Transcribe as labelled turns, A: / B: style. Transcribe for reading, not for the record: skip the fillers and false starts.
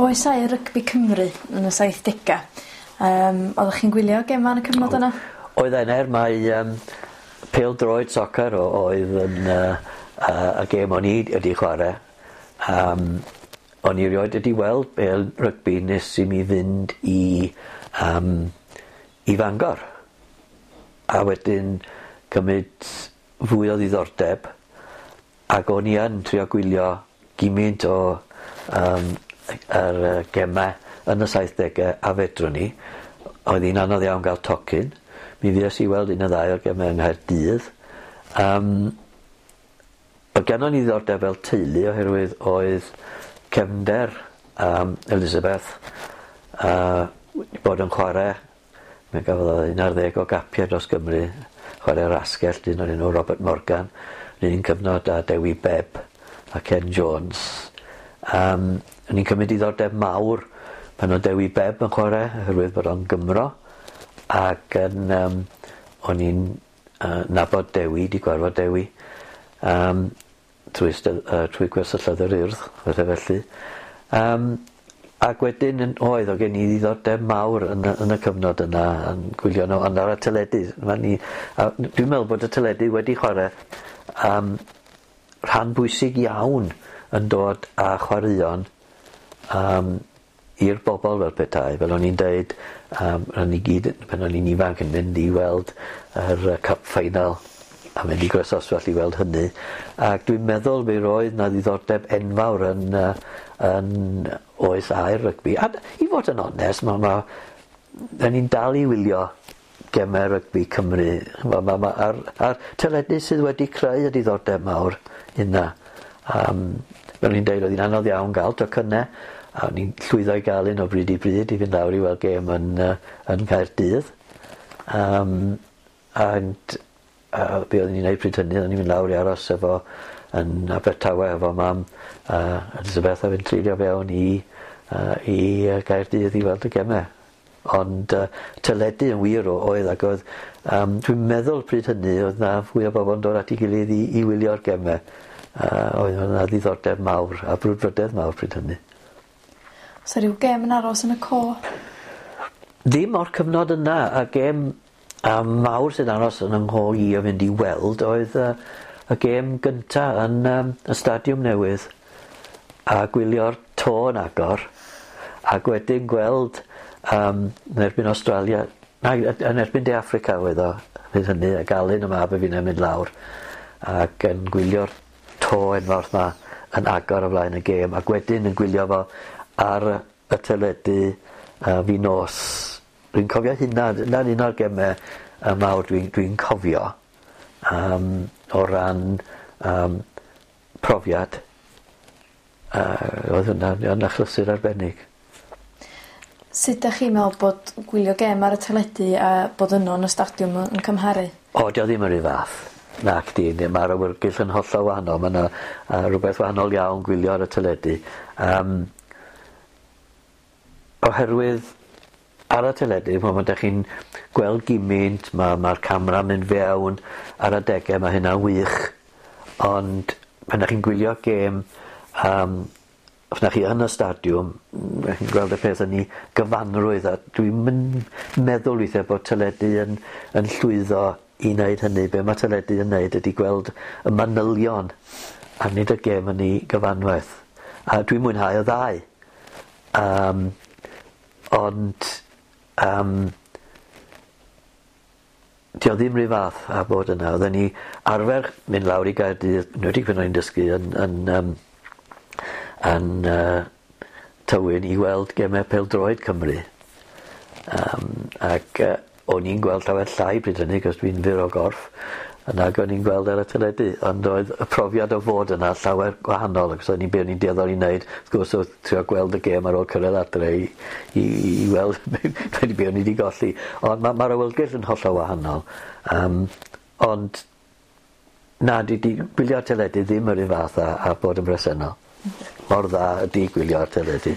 A: Oes aur rygbi Cymru yn y saithdega yym oddech chi'n gwylio gema yn y cyfnod yna?
B: Oedd ener mae yym pêl-droed soccer oedd yn yy yy y gêm o'n i wedi chware yym o'n i rioed wedi weld bêl rygbi nes i mi fynd i yym i Fangor. A wedyn cymryd fwy o ddiddordeb ag o'n i yn trio gwylio gymint o yym yr yy geme yn y saithdege a fedrwn i. Oedd hi'n anodd iawn ga'l tocyn. Mi fues i weld un neu ddau o'r geme yng Nghaerdydd. Yym o'dd gennon ni ddiddordeb fel teulu oherwydd oedd cefnder yym Elizabeth yy wedi bod yn chware Mi gafodd o 11 o gapie dros Gymru, chware yr asgell dyn o'r enw Robert Morgan, 'run un cyfnod â Dewi Bebb a Ken Jones. Yym o'n i'n cymryd diddordeb mawr pan o'dd Dewi Bebb yn chware oherwydd bod o'n Gymro ac yn yym o'n i'n yy nabod Dewi 'di gwarfod Dewi yym trwy stedd- yy trwy gwersylloedd yr Urdd, pethe felly. Yym ac wedyn yn oedd o' gen i ddiddordeb mawr yn y yn y cyfnod yna yn gwylio n'w ond ar y teledu ma' ni a dwi'n meddwl bod y teledu wedi chware yym rhan bwysig iawn yn dod â chwaraeon yym i'r bobol fel petai fel o'n i'n deud yym ro'n ni gyd yn pan o'n i'n ifanc yn mynd i weld yr yy cup final a mynd i Groesoswallt i weld hynny ac dwi'n meddwl mi roedd 'na ddiddordeb enfawr yn yy yn oes aur rygbi a i fod yn onest ma' ma' 'dan ni'n dal i wylio geme rygbi Cymru ch'mo' ma' ma' a'r a'r teledu sydd wedi creu y diddordeb mawr yna. Yym fel o'n i'n deud oedd hi'n anodd iawn ga'l tocynne a o'n i'n llwyddo i ga'l un o bryd i bryd i fynd lawr i weld gêm yn yy yn Nghaerdydd. Yym and yy be' oeddwn i'n neud pryd hynny o'n i'n mynd lawr i aros efo yn Abertawe efo mam a Elizabeth a fynd treulio fewn i yy i yy Gaerdydd i weld y geme. Ond yy teledu yn wir oedd ac oedd yym dwi'n meddwl pryd hynny oedd 'na fwy o bobol yn dod at 'i gilydd i i wylio'r geme. Yy oedd yna ddiddordeb mawr a brwdfrydedd mawr pryd hynny.
A: O's 'a ryw gêm yn aros yn y co?
B: Ddim o'r cyfnod yna y gêm yym mawr sy'n aros yn 'y ngho i o fynd i weld oedd yy y gêm gynta yn yym y stadiwm newydd a gwylio'r to yn agor ac wedyn gweld yym yn erbyn Awstralia nag yy yn erbyn De Affrica oedd o pryd hynny ac Alun y mab a finne'n mynd lawr ac yn gwylio'r to enfawr 'ma yn agor o flaen y gêm ac wedyn yn gwylio fo ar y teledu yy fin nos. Dwi'n cofio hynna 'na'n un o'r geme yy mawr dwi'n dwi'n cofio yym o ran yym profiad. Yy oedd hwnna'n yn achlysur arbennig.
A: Sut 'dach chi'n meddwl bod gwylio gêm ar y teledu a bod yno yn y stadiwm yn yn cymharu?
B: O 'di o ddim yr un fath. Nacdi ne- ma'r awyrgyll yn hollol wahanol ma' 'na yy rwbeth wahanol iawn gwylio ar y teledu. Yym. Oherwydd ar y teledu ch'mo' ma' 'dach chi'n gweld gimynt ma' ma'r camera'n mynd fewn ar adege ma' hynna'n wych ond pan 'dach chi'n gwylio gêm yym os 'nach chi yn y stadiwm 'dach chi'n gweld y peth yn 'i gyfanrwydd a dwi'm yn meddwl withe bod teledu yn yn llwyddo i neud hynny be' ma' teledu yn neud ydi gweld y manylion a nid y gêm yn 'i gyfanwaith. A dwi'n mwynhau y ddau. Yym ond yym 'di o ddim 'run fath â bod yna. Odden ni arfer mynd lawr i Gaerdydd, enwedig pan o'n i'n dysgu yn yn yym yn yy Tywyn i weld geme pêl-droed Cymru. Yym ac yy o'n i'n gweld llawer llai pryd hynny 'c'os dwi'n fyr o gorff nag o'n i'n gweld ar y teledu ond oedd y profiad o fod yna llawer gwahanol achos o'n i'n be' o'n i'n dueddol i neud wrth gwrs o'dd trio gweld y gêm ar ôl cyrraedd adre i i i weld be' be' o'n i 'di golli. Ond ma' ma'r awyrgylch yn hollol wahanol yym ond na 'di 'di gwylio'r teledu ddim yr un fath â â bod yn bresennol. Mor dda ydi gwylio'r teledu.